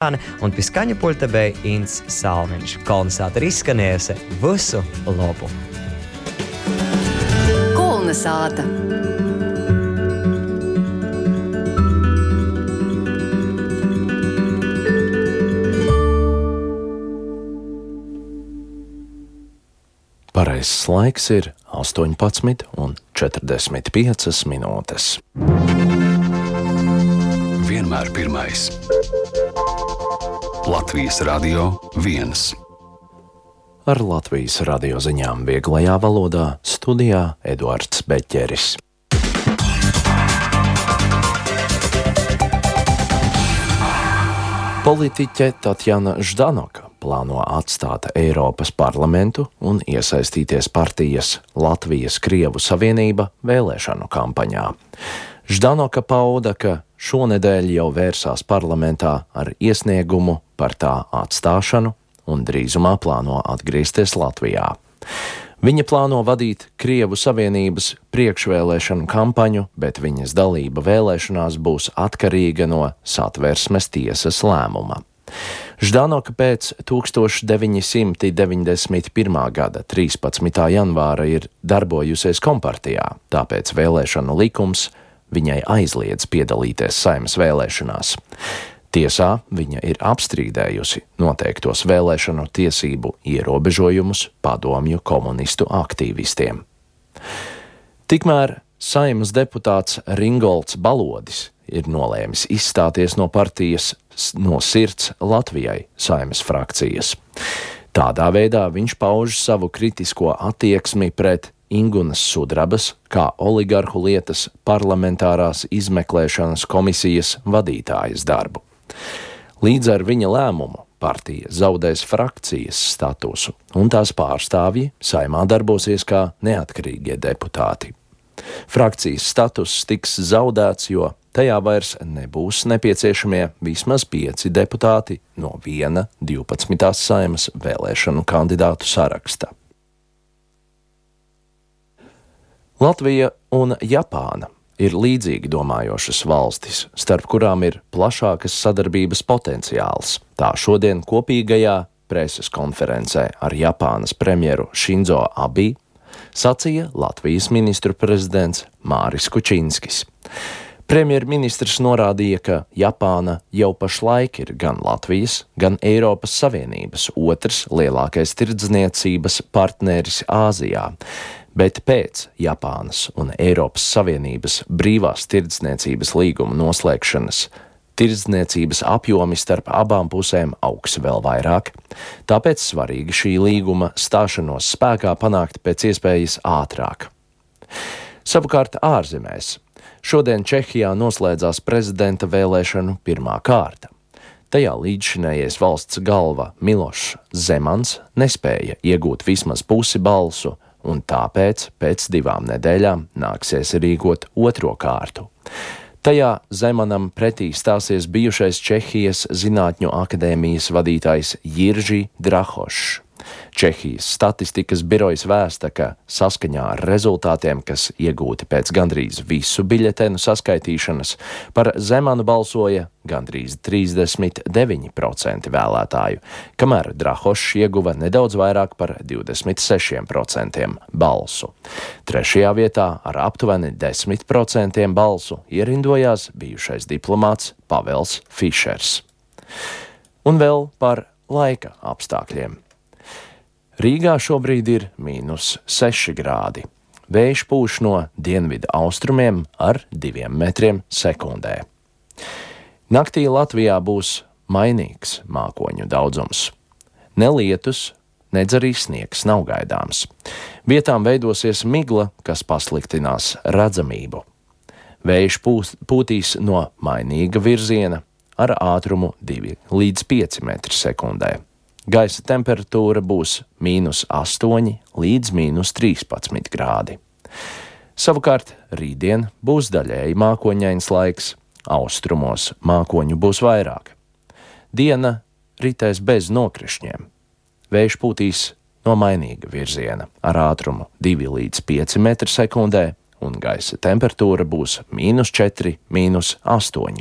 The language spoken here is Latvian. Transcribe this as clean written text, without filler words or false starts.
Un pie skaņa pulta bija Ints Salmiņš. Kolnesāta ir izskanējusi visu labu. Kolnesāta. Pareizs laiks ir 18:45 minūtes. Vienmēr pirmais. Latvijas Radio 1. Ar Latvijas radio ziņām vieglajā valodā studijā Eduards Beķeris. Politiķe Tatjana Ždanoka plāno atstāt Eiropas parlamentu un iesaistīties partijas Latvijas-Krievu Savienība vēlēšanu kampaņā. Ždanoka pauda, ka šonedēļ jau vērsās parlamentā ar iesniegumu par tā atstāšanu un drīzumā plāno atgriezties Latvijā. Viņa plāno vadīt Krievu Savienības priekšvēlēšanu kampaņu, bet viņas dalība vēlēšanās būs atkarīga no Satversmes tiesas lēmuma. Ždanoka pēc 1991. gada 13. janvāra ir darbojusies Kompartijā, tāpēc vēlēšanu likums viņai aizliedz piedalīties Saeimas vēlēšanās. Tiesā viņa ir apstrīdējusi noteiktos vēlēšanu tiesību ierobežojumus padomju komunistu aktīvistiem. Tikmēr Saeimas deputāts Ringolds Balodis ir nolēmis izstāties no partijas No sirds Latvijai Saeimas frakcijas. Tādā veidā viņš pauž savu kritisko attieksmi pret Ingunas Sudrabas kā oligarhu lietas parlamentārās izmeklēšanas komisijas vadītājas darbu. Līdz ar viņa lēmumu partija zaudēs frakcijas statusu, un tās pārstāvji Saeimā darbosies kā neatkarīgie deputāti. Frakcijas status tiks zaudēts, jo tajā vairs nebūs nepieciešamie vismaz 5 deputāti no 12. Saeimas vēlēšanu kandidātu saraksta. Latvija un Japāna ir līdzīgi domājošas valstis, starp kurām ir plašākas sadarbības potenciāls. Tā šodien kopīgajā preses konferencē ar Japānas premjeru Šinzo Abi sacīja Latvijas ministru prezidents Māris Kučinskis. Premjerministrs norādīja, ka Japāna jau pašlaik ir gan Latvijas, gan Eiropas Savienības otrs lielākais tirdzniecības partneris Āzijā, bet pēc Japānas un Eiropas Savienības brīvās tirdzniecības līguma noslēgšanas tirdzniecības apjomi starp abām pusēm augs vēl vairāk, tāpēc svarīgi šī līguma stāšanos spēkā panākt pēc iespējas ātrāk. Savukārt ārzemēs šodien Čehijā noslēdzās prezidenta vēlēšanu pirmā kārta. Tajā līdzšinējais valsts galva Milošs Zemans nespēja iegūt vismaz pusi balsu, un tāpēc pēc 2 nedēļām nāksies rīkot otro kārtu. Tajā Zemanam pretī stāsies bijušais Čehijas Zinātņu akadēmijas vadītājs Jirži Drahošs. Čehijas statistikas birojas vēsta, ka saskaņā ar rezultātiem, kas iegūti pēc gandrīz visu biļetenu saskaitīšanas, par Zemanu balsoja gandrīz 39% vēlētāju, kamēr Drahošs ieguva nedaudz vairāk par 26% balsu. Trešajā vietā ar aptuveni 10% balsu ierindojās bijušais diplomāts Pavels Fišers. Un vēl par laika apstākļiem. Rīgā šobrīd ir -6 grādi. Vējš pūš no dienvidu austrumiem ar 2 metriem sekundē. Naktī Latvijā būs mainīgs mākoņu daudzums. Ne lietus, nedz arī sniegs nav gaidāms. Vietām veidosies migla, kas pasliktinās redzamību. Vējš pūtīs no mainīga virziena ar ātrumu 2 līdz 5 metri sekundē. Gaisa temperatūra būs -8 līdz -13 grādi. Savukārt rītdien būs daļēji mākoņains laiks, austrumos mākoņu būs vairāk. Diena ritēs bez nokrišņiem. Vējš pūtīs no mainīga virziena ar ātrumu 2 līdz 5 metri sekundē, un gaisa temperatūra būs -4, -8